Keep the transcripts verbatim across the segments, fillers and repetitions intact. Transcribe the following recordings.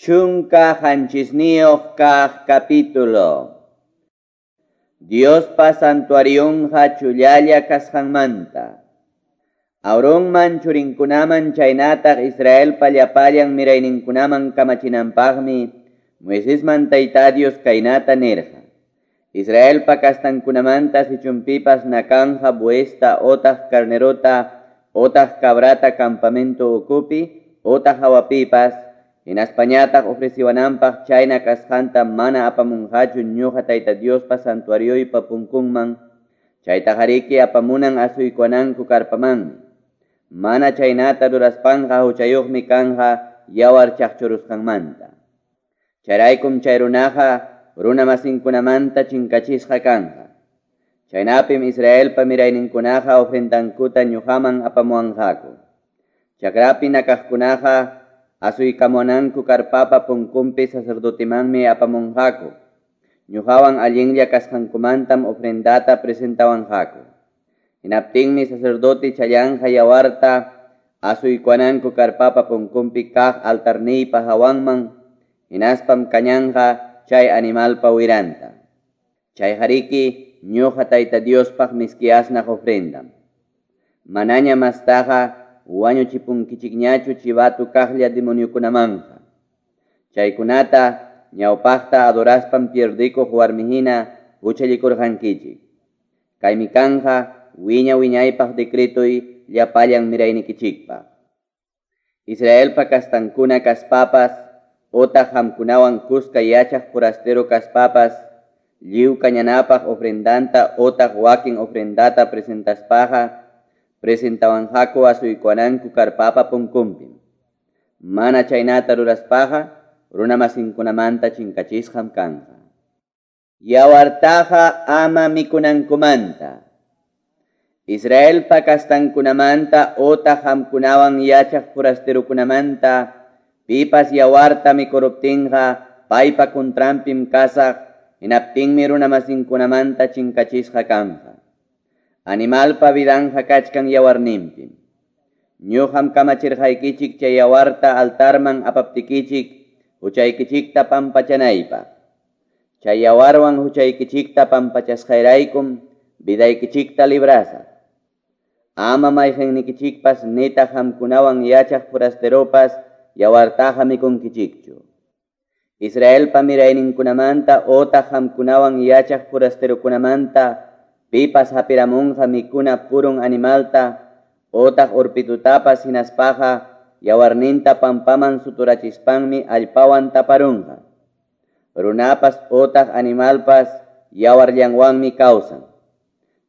Chunka qanchisniyuq kaq capítulo. Diospa santuarionqa chullalla kasqanmanta. Aaronman churinkunaman chaynataq Israelpa llapallan mirayninkunaman kamachinanpaqmi Moisesman Tayta Dios kaynata nirqa. Israelpa kastankunamanta sichunpipas nakanja buesta otaq carnerota otaq cabrata campamento ukupi otaq hawapipas hinaspañataq ofreciwananpaq chayna kasqanta mana apamunqachu ñuqa Tayta Diospa santuarioypa punkunman, chaytaqariki apamunan asuykuwananku karpamanmi. Mana chaynata ruraspanqa huchayuqmi kanja yawar chaqchurusqanmanta. Chayraykum chay runaqa runa masinkunamanta chinkachisqa kanja. Chaynapim Israelpa mirayninkunaqa ofrendankuta ñuqaman apamuwanqaku. Chakrapi nakaqkunaqa asuykamunanku karpapa punkunpi sacerdotemanmi apamunqaku. Ñuqawan allinlla kasqankumantam ofrendata presentawanqaku. Hinaptinmi sacerdote challanja yawarta asuykuwananku karpapa punkunpi kaq altarniypa hawanman, hinaspam kañanja chay animalpa wiranta. Chay hariki ñuqa Tayta Diospaq miski asnaq ofrendam. Manaña mastaqa wañuchipunkichikñachu chivatu kaqlla demoniokunamanja. Chaykunata ñawpaqta adoraspam pierdikuq warmihina huchallikurqankichik. Kaymi kanja wiña wiñaypaq decretoy llapallan miraynikichikpaq. Israelpa kastankuna kaspapas otaq hamkunawan kuska yachaq forastero kaspapas lliw kañanapaq ofrendanta otaq wakin ofrendata presentaspaqa presentawanqaku asuykuwananku karpapa punkunpim. Mana chaynata ruraspaqa runa masinkunamanta chinkachisqam kanja. Yawartaqa ama mikunankumanta. Israelpa kastankunamanta otaq hamkunawan yachaq forasterokunamanta pipas yawarta mikuruptinqa paypa contranpim kasaq, hinaptinmi runa masinkunamanta chinkachisqa kanja. Animalpa vidanja kachkan yawarninpim. Ñuqam kamachirqaykichik chay yawarta altarman apaptikichik huchaykichikta pampachanaypaq. Chay yawarwan huchaykichikta pampachasqayraykum vidaykichikta librasaq. Ama mayqinnikichikpas nitaq hamkunawan yachaq forasteropas yawartaqa mikunkichikchu. Israelpa mirayninkunamanta otaq hamkunawan yachaq forasterokunamanta pipas hapiramunqa mikuna purun animalta otaq urpitutapas hinaspaqa yawarninta pampaman suturachispanmi allpawan taparunqa. Runapas otaq animalpas yawarllanwanmi kawsan.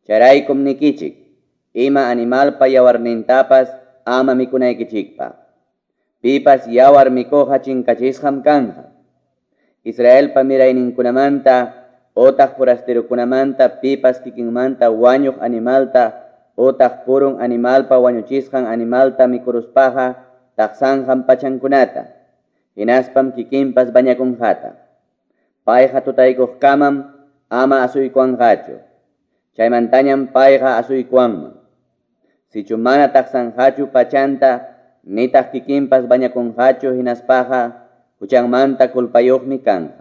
Chayraykum nikichik, ima animalpa yawarnintapas ama mikunaykichikpaq. Pipas yawar mikuqa chinkachisqam kanja. Israelpa mirayninkunamanta otaq forasterokunamanta pipas kikinmanta wañuq animalta otaq purun animalpa wañuchisqan animalta mikuruspaqa taqsanqam pachankunata, hinaspam kikinpas bañakunqata. Payqa tutaykuqkamam ama asuykuwanqachu. Chaymantañam payqa asuykuwanman. Sichu mana taqsanqachu pachanta nitaq kikinpas bañakunqachu hinaspaqa huchanmanta culpayuqmi kanja.